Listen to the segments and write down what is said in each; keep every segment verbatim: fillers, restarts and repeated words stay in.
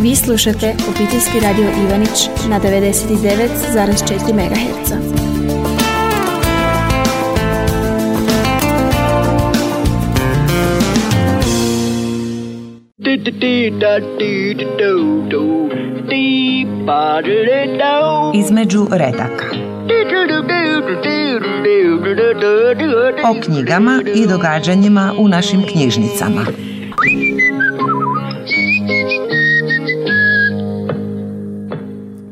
Vi slušate Obiteljski radio Ivanić na devedeset devet zarez četiri megaherca. Između redaka. O knjigama i događanjima u našim knjižnicama.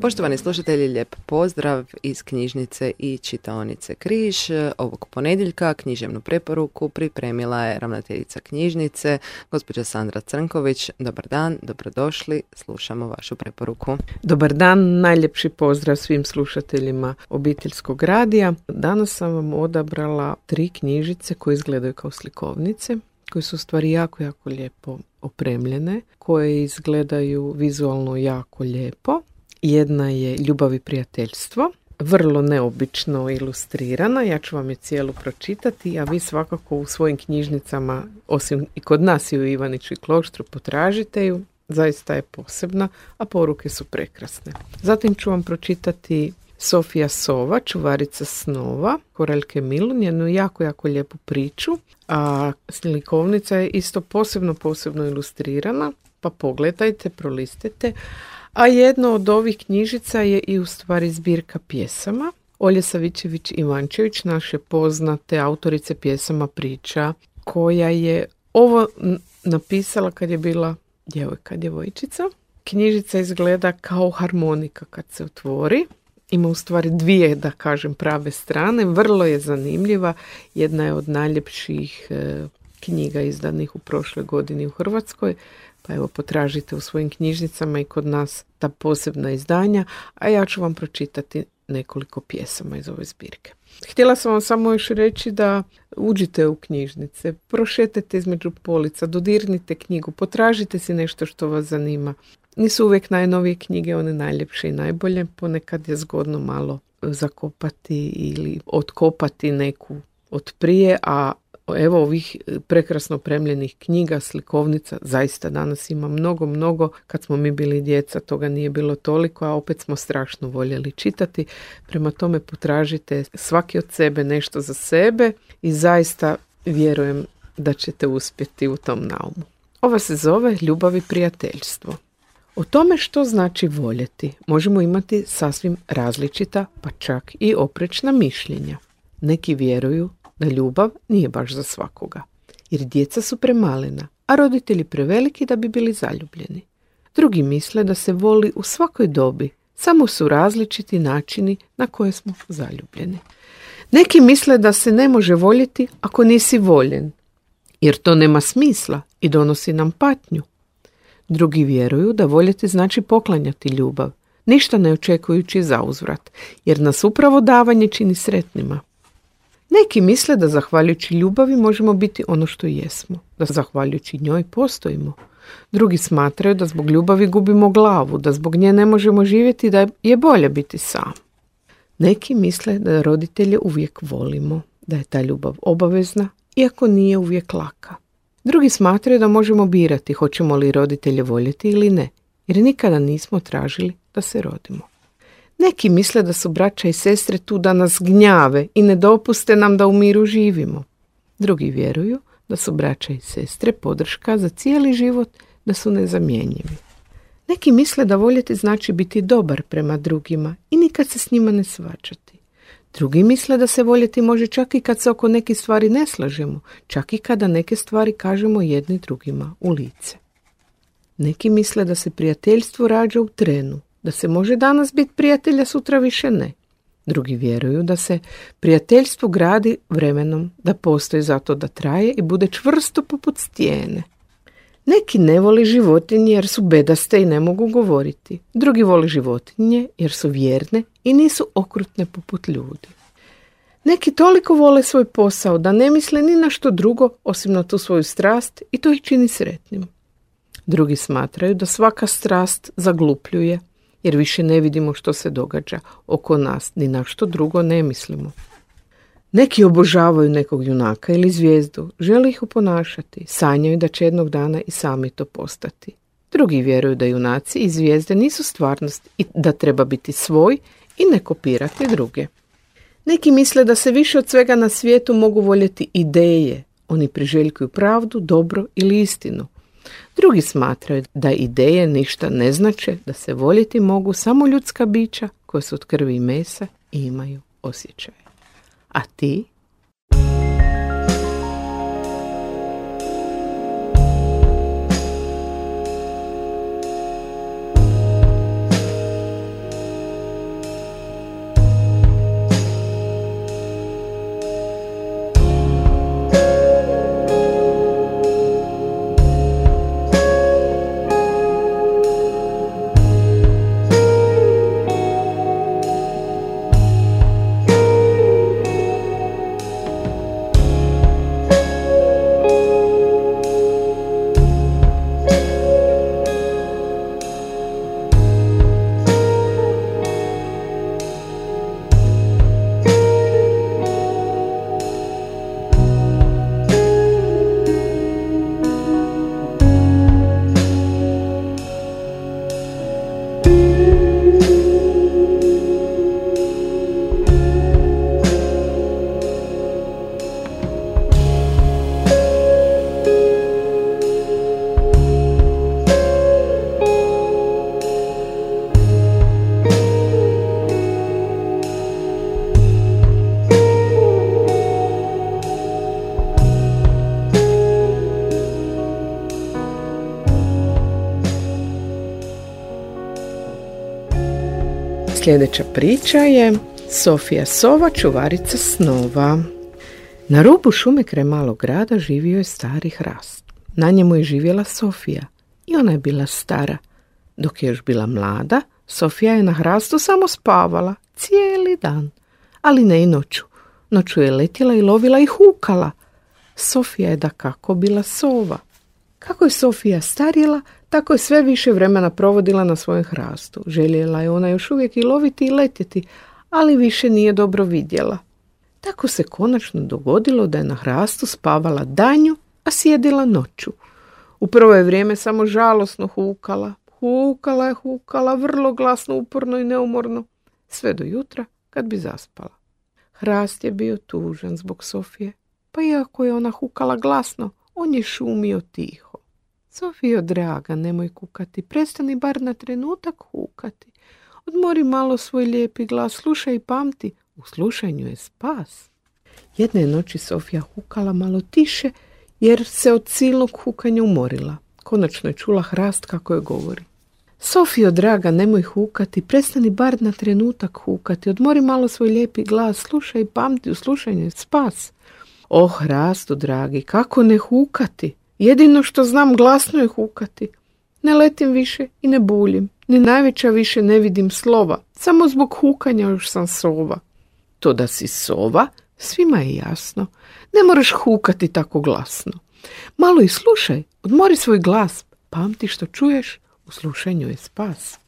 Poštovani slušatelji, lijep pozdrav iz knjižnice i čitaonice Križ. Ovog ponedjeljka književnu preporuku pripremila je ravnateljica knjižnice, gospođa Sandra Crnković. Dobar dan, dobrodošli, slušamo vašu preporuku. Dobar dan, najljepši pozdrav svim slušateljima Obiteljskog radija. Danas sam vam odabrala tri knjižice koje izgledaju kao slikovnice, koje su u stvari jako, jako lijepo opremljene, koje izgledaju vizualno jako lijepo. Jedna je Ljubav i prijateljstvo, vrlo neobično ilustrirana, ja ću vam je cijelu pročitati, a vi svakako u svojim knjižnicama, osim i kod nas i u Ivaniću i Kloštru, potražite ju, zaista je posebna, a poruke su prekrasne. Zatim ću vam pročitati Sofija Sova, Čuvarica snova, Koraljke Milun, jednu jako, jako lijepu priču, a slikovnica je isto posebno, posebno ilustrirana, pa pogledajte, prolistite. A jedno od ovih knjižica je i u stvari zbirka pjesama. Olje Savičević-Ivančević, naše poznate autorice pjesama priča, koja je ovo napisala kad je bila djevojka, djevojčica. Knjižica izgleda kao harmonika kad se otvori. Ima u stvari dvije, da kažem, prave strane. Vrlo je zanimljiva. Jedna je od najljepših e, knjiga izdanih u prošloj godini u Hrvatskoj. Pa evo, potražite u svojim knjižnicama i kod nas ta posebna izdanja, a ja ću vam pročitati nekoliko pjesama iz ove zbirke. Htjela sam vam samo još reći da uđite u knjižnice, prošetajte između polica, dodirnite knjigu, potražite si nešto što vas zanima. Nisu uvijek najnovije knjige one najljepše i najbolje, ponekad je zgodno malo zakopati ili otkopati neku od prije, a evo ovih prekrasno opremljenih knjiga, slikovnica, zaista danas ima mnogo, mnogo. Kad smo mi bili djeca, toga nije bilo toliko, a opet smo strašno voljeli čitati. Prema tome potražite svaki od sebe nešto za sebe i zaista vjerujem da ćete uspjeti u tom naumu. Ova se zove Ljubav i prijateljstvo. O tome što znači voljeti možemo imati sasvim različita, pa čak i oprečna mišljenja. Neki vjeruju da ljubav nije baš za svakoga, jer djeca su premalena, a roditelji preveliki da bi bili zaljubljeni. Drugi misle da se voli u svakoj dobi, samo su različiti načini na koje smo zaljubljeni. Neki misle da se ne može voljeti ako nisi voljen, jer to nema smisla i donosi nam patnju. Drugi vjeruju da voljeti znači poklanjati ljubav, ništa ne očekujući za uzvrat, jer nas upravo davanje čini sretnima. Neki misle da zahvaljujući ljubavi možemo biti ono što jesmo, da zahvaljujući njoj postojimo. Drugi smatraju da zbog ljubavi gubimo glavu, da zbog nje ne možemo živjeti, da je bolje biti sam. Neki misle da roditelje uvijek volimo, da je ta ljubav obavezna, iako nije uvijek laka. Drugi smatraju da možemo birati hoćemo li roditelje voljeti ili ne, jer nikada nismo tražili da se rodimo. Neki misle da su braća i sestre tu da nas gnjave i ne dopuste nam da u miru živimo. Drugi vjeruju da su braća i sestre podrška za cijeli život, da su nezamjenjivi. Neki misle da voljeti znači biti dobar prema drugima i nikad se s njima ne svađati. Drugi misle da se voljeti može čak i kad se oko neke stvari ne slažemo, čak i kada neke stvari kažemo jedni drugima u lice. Neki misle da se prijateljstvo rađa u trenu, da se može danas biti prijatelja, sutra više ne. Drugi vjeruju da se prijateljstvo gradi vremenom, da postoji zato da traje i bude čvrsto poput stijene. Neki ne voli životinje jer su bedaste i ne mogu govoriti. Drugi voli životinje jer su vjerne i nisu okrutne poput ljudi. Neki toliko vole svoj posao da ne misle ni na što drugo osim na tu svoju strast i to ih čini sretnim. Drugi smatraju da svaka strast zaglupljuje jer više ne vidimo što se događa oko nas, ni na što drugo ne mislimo. Neki obožavaju nekog junaka ili zvijezdu, žele ih oponašati, sanjaju da će jednog dana i sami to postati. Drugi vjeruju da junaci i zvijezde nisu stvarnost i da treba biti svoj i ne kopirati druge. Neki misle da se više od svega na svijetu mogu voljeti ideje. Oni priželjkuju pravdu, dobro ili istinu. Drugi smatraju da ideje ništa ne znače, da se voljeti mogu samo ljudska bića koja su od krvi i mesa i imaju osjećaje. A ti? Sljedeća priča je Sofija sova, čuvarica snova. Na rubu šume kraj malog grada živio je stari hrast. Na njemu je živjela Sofija i ona je bila stara. Dok je još bila mlada, Sofija je na hrastu samo spavala cijeli dan, ali ne i noću. Noću je letjela i lovila i hukala. Sofija je dakako bila sova. Kako je Sofija starjela, tako je sve više vremena provodila na svojem hrastu. Željela je ona još uvijek i loviti i letjeti, ali više nije dobro vidjela. Tako se konačno dogodilo da je na hrastu spavala danju, a sjedila noću. U prvo je vrijeme samo žalosno hukala. Hukala je, hukala, vrlo glasno, uporno i neumorno, sve do jutra kad bi zaspala. Hrast je bio tužan zbog Sofije, pa iako je ona hukala glasno, on je šumio tiho. Sofijo draga, nemoj kukati, prestani bar na trenutak hukati. Odmori malo svoj lijepi glas, slušaj i pamti, u slušanju je spas. Jedne noći Sofija hukala malo tiše, jer se od silnog hukanja umorila. Konačno je čula hrast kako je govori. Sofijo draga, nemoj hukati, prestani bar na trenutak hukati, odmori malo svoj lijepi glas, slušaj i pamti, u slušanju je spas. O hrastu dragi, kako ne hukati? Jedino što znam glasno je hukati. Ne letim više i ne buljim, ni najveća više ne vidim slova, samo zbog hukanja još sam sova. To da si sova, svima je jasno, ne moraš hukati tako glasno. Malo i slušaj, odmori svoj glas, pamti što čuješ, u slušanju je spas.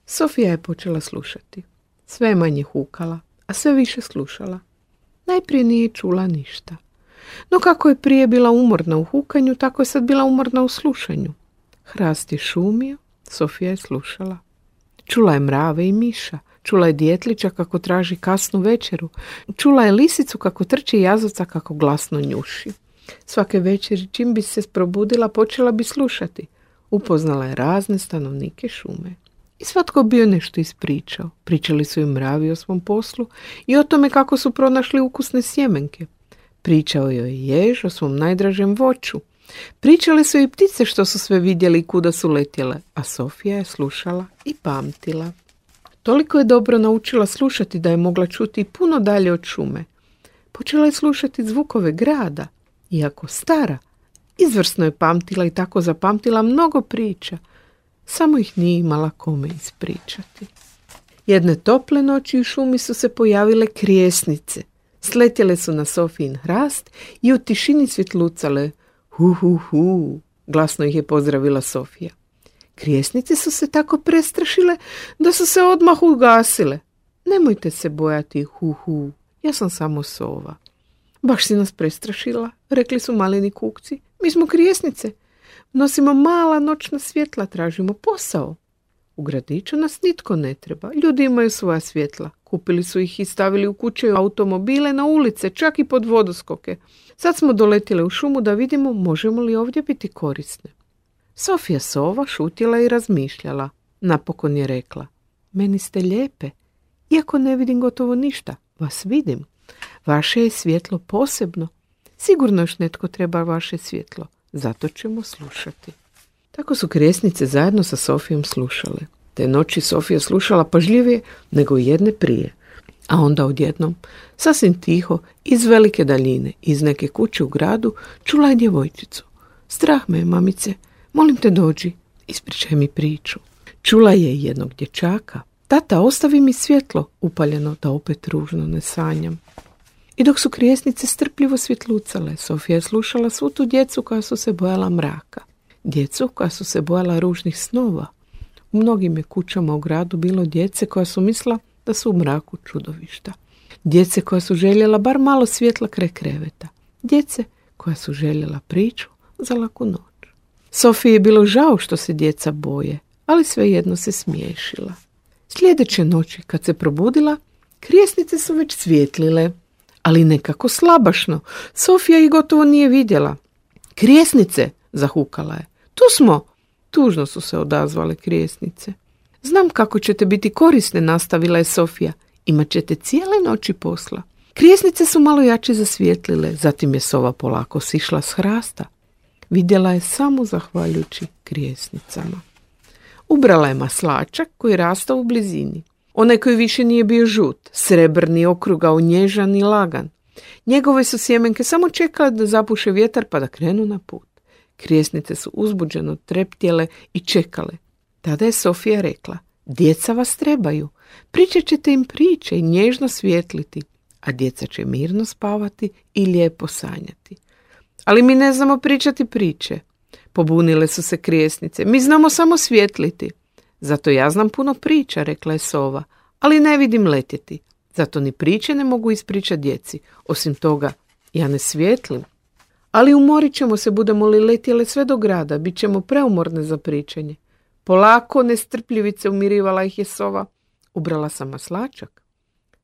Sofija je počela slušati. Sve manje hukala, a sve više slušala. Najprije nije čula ništa. No kako je prije bila umorna u hukanju, tako je sad bila umorna u slušanju. Hrast je šumio, Sofija je slušala. Čula je mrave i miša, čula je djetlića kako traži kasnu večeru, čula je lisicu kako trči jazavca kako glasno njuši. Svake večeri čim bi se probudila počela bi slušati. Upoznala je razne stanovnike šume. I svatko bio nešto ispričao. Pričali su im mravi o svom poslu i o tome kako su pronašli ukusne sjemenke. Pričao joj je jež o svom najdražem voću. Pričale su i ptice što su sve vidjeli i kuda su letjele, a Sofija je slušala i pamtila. Toliko je dobro naučila slušati da je mogla čuti i puno dalje od šume. Počela je slušati zvukove grada, iako stara. Izvrsno je pamtila i tako zapamtila mnogo priča, samo ih nije imala kome ispričati. Jedne tople noći u šumi su se pojavile krijesnice. Sletjele su na Sofijin hrast i u tišini svjetlucale. Hu, hu, hu, glasno ih je pozdravila Sofija. Krijesnice su se tako prestrašile da su se odmah ugasile. Nemojte se bojati, hu, hu, ja sam samo sova. Baš si nas prestrašila, rekli su maleni kukci. Mi smo krijesnice. Nosimo mala noćna svjetla, tražimo posao. U gradiću nas nitko ne treba. Ljudi imaju svoja svjetla. Kupili su ih i stavili u kuće, automobile, na ulice, čak i pod vodoskoke. Sad smo doletjeli u šumu da vidimo možemo li ovdje biti korisne. Sofija sova šutjela i razmišljala. Napokon je rekla: meni ste lijepe. Iako ne vidim gotovo ništa, vas vidim. Vaše je svjetlo posebno. Sigurno još netko treba vaše svjetlo. Zato ćemo slušati. Tako su krijesnice zajedno sa Sofijom slušale. Te noći Sofija slušala pažljivije nego jedne prije. A onda odjednom, sasvim tiho, iz velike daljine, iz neke kuće u gradu, čula je djevojčicu. Strah me je, mamice, molim te dođi, ispričaj mi priču. Čula je jednog dječaka. Tata, ostavi mi svjetlo, upaljeno da opet ružno ne sanjam. I dok su krijesnice strpljivo svjetlucale, Sofija je slušala svu tu djecu koja su se bojala mraka. Djecu koja su se bojala ružnih snova. U mnogim je kućama u gradu bilo djece koja su mislila da su u mraku čudovišta. Djece koja su željela bar malo svjetla kraj kreveta. Djece koja su željela priču za laku noć. Sofiji je bilo žao što se djeca boje, ali svejedno se smiješila. Sljedeće noći, kad se probudila, krijesnice su već svjetlile, ali nekako slabašno. Sofija ih gotovo nije vidjela. Krijesnice, zahukala je. Tu smo. Tužno su se odazvale krijesnice. Znam kako ćete biti korisne, nastavila je Sofija. Imat ćete cijele noći posla. Krijesnice su malo jače zasvijetlile, zatim je sova polako sišla s hrasta. Vidjela je samo zahvaljujući krijesnicama. Ubrala je maslačak koji je rastao u blizini. Onaj koji više nije bio žut, srebrni, okrugao, nježan i lagan. Njegove su sjemenke samo čekale da zapuše vjetar pa da krenu na put. Krijesnice su uzbuđeno treptjele i čekale. Tada je Sofija rekla: djeca vas trebaju. Pričat ćete im priče i nježno svjetliti, a djeca će mirno spavati i lijepo sanjati. Ali mi ne znamo pričati priče. Pobunile su se krijesnice. Mi znamo samo svjetliti. Zato ja znam puno priča, rekla je sova, ali ne vidim letjeti. Zato ni priče ne mogu ispričati djeci. Osim toga, ja ne svjetlim. Ali umorit ćemo se, budemo li letjele sve do grada, bit ćemo preumorne za pričanje. Polako, nestrpljivice, umirivala ih je sova. Ubrala sam maslačak.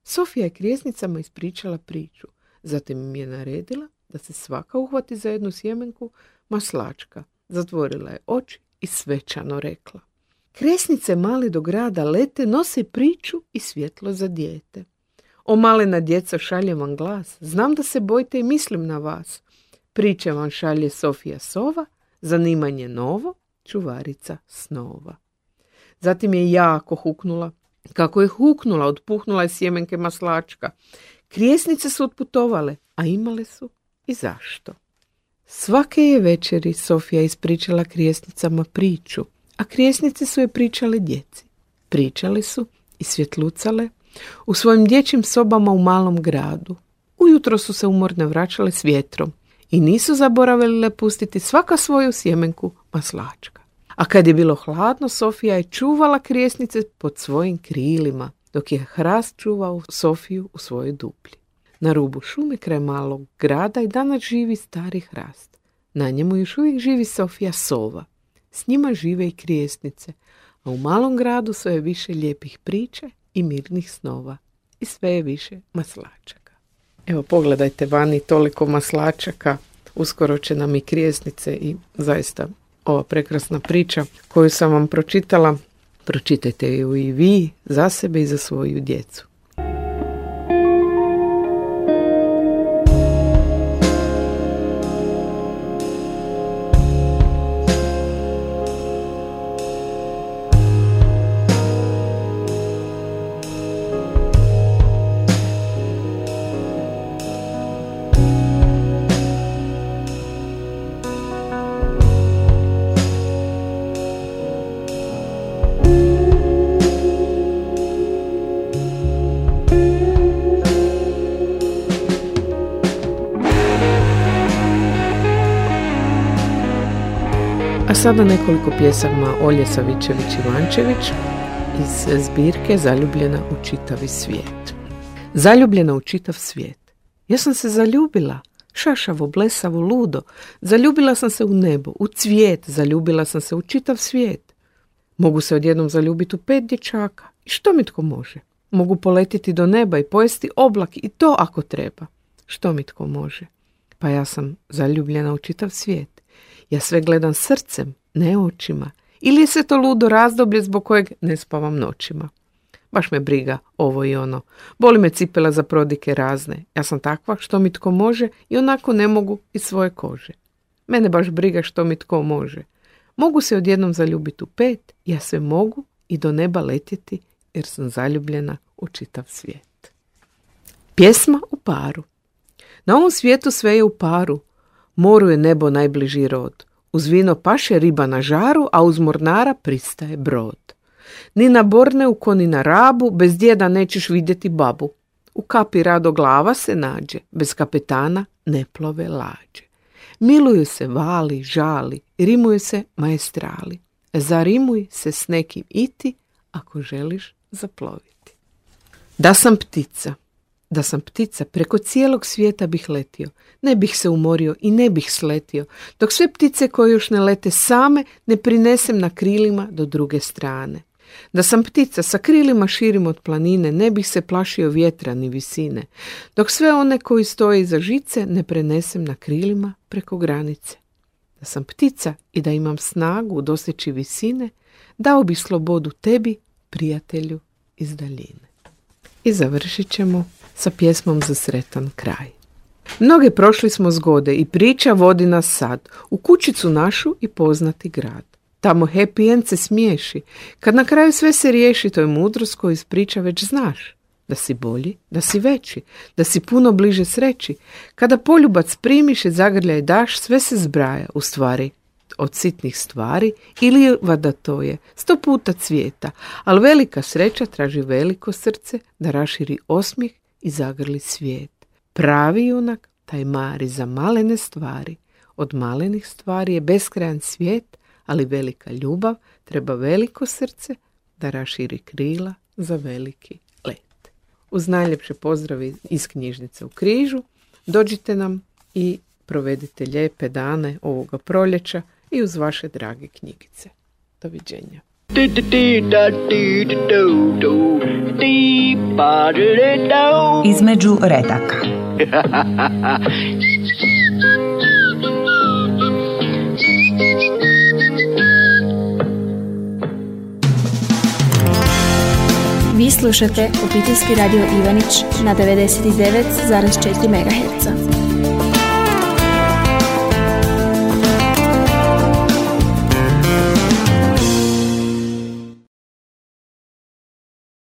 Sofija je krijesnicama ispričala priču. Zatim im je naredila da se svaka uhvati za jednu sjemenku maslačka. Zatvorila je oči i svečano rekla: krijesnice mali do grada lete, nose priču i svjetlo za dijete. O malena djeco, šaljem vam glas. Znam da se bojite i mislim na vas. Priče vam šalje Sofija sova, zanimanje novo, čuvarica snova. Zatim je jako huknula. Kako je huknula, otpuhnula je sjemenke maslačka. Krijesnice su otputovale, a imale su i zašto. Svake je večeri Sofija ispričala krijesnicama priču, a krijesnice su je pričale djeci. Pričale su i svjetlucale u svojim dječjim sobama u malom gradu. Ujutro su se umorne vraćale s vjetrom i nisu zaboravile pustiti svaka svoju sjemenku maslačka. A kad je bilo hladno, Sofija je čuvala krijesnice pod svojim krilima, dok je hrast čuvao Sofiju u svojoj duplji. Na rubu šume kraj malog grada i danas živi stari hrast. Na njemu još uvijek živi Sofija sova. S njima žive i krijesnice, a u malom gradu sve je više lijepih priča i mirnih snova. I sve je više maslačaka. Evo, pogledajte vani, toliko maslačaka. Uskoro će nam i krijesnice i zaista ova prekrasna priča koju sam vam pročitala. Pročitajte ju i vi za sebe i za svoju djecu. A sada nekoliko pjesama Olje Savičević-Ivančević iz zbirke Zaljubljena u čitavi svijet. Zaljubljena u čitav svijet. Ja sam se zaljubila. šašavo, blesavo, ludo. Zaljubila sam se u nebo, u cvijet, zaljubila sam se u čitav svijet. Mogu se odjednom zaljubiti u pet dječaka. I što mi tko može? Mogu poletiti do neba i pojesti oblak i to ako treba. Što mi tko može? Pa ja sam zaljubljena u čitav svijet. Ja sve gledam srcem, ne očima. Ili je se to ludo razdoblje zbog kojeg ne spavam noćima. Baš me briga ovo i ono. Boli me cipela za prodike razne. Ja sam takva što mi tko može i onako ne mogu iz svoje kože. Mene baš briga što mi tko može. Mogu se odjednom zaljubiti u pet, ja sve mogu i do neba letjeti jer sam zaljubljena u čitav svijet. Pjesma u paru. Na ovom svijetu sve je u paru. Moru je nebo najbliži rod. Uz vino paše riba na žaru, a uz mornara pristaje brod. Ni na Borneu ko ni na Rabu, bez djeda nećeš vidjeti babu. U kapi rado glava se nađe, bez kapetana ne plove lađe. Miluju se vali, žali, rimuju se maestrali. Zarimuj se s nekim iti, ako želiš zaploviti. Da sam ptica, da sam ptica, preko cijelog svijeta bih letio. Ne bih se umorio i ne bih sletio, dok sve ptice koje još ne lete same ne prinesem na krilima do druge strane. Da sam ptica, sa krilima širim od planine, ne bih se plašio vjetra ni visine, dok sve one koji stoje iza žice ne prenesem na krilima preko granice. Da sam ptica i da imam snagu doseći visine, dao bih slobodu tebi, prijatelju iz daljine. I završit ćemo sa pjesmom za sretan kraj. Mnoge prošli smo zgode i priča vodi nas sad u kućicu našu i poznati grad. Tamo happy end se smiješi. Kad na kraju sve se riješi, to je mudrost koju iz priča već znaš. Da si bolji, da si veći, da si puno bliže sreći. Kada poljubac primiš i zagrljaj daš, sve se zbraja, u stvari od sitnih stvari ili vada to je sto puta cvijeta, ali velika sreća traži veliko srce da raširi osmijeh i zagrli svijet. Pravi junak taj mari za malene stvari. Od malenih stvari je beskrajan svijet, ali velika ljubav treba veliko srce da raširi krila za veliki let. Uz najljepše pozdravi iz knjižnice u Križu, dođite nam i provedite lijepe dane ovoga proljeća i uz vaše drage knjigice. Doviđenja. Između redaka. Vi slušate Obiteljski radio Ivanić na devedeset devet zarez četiri megaherca.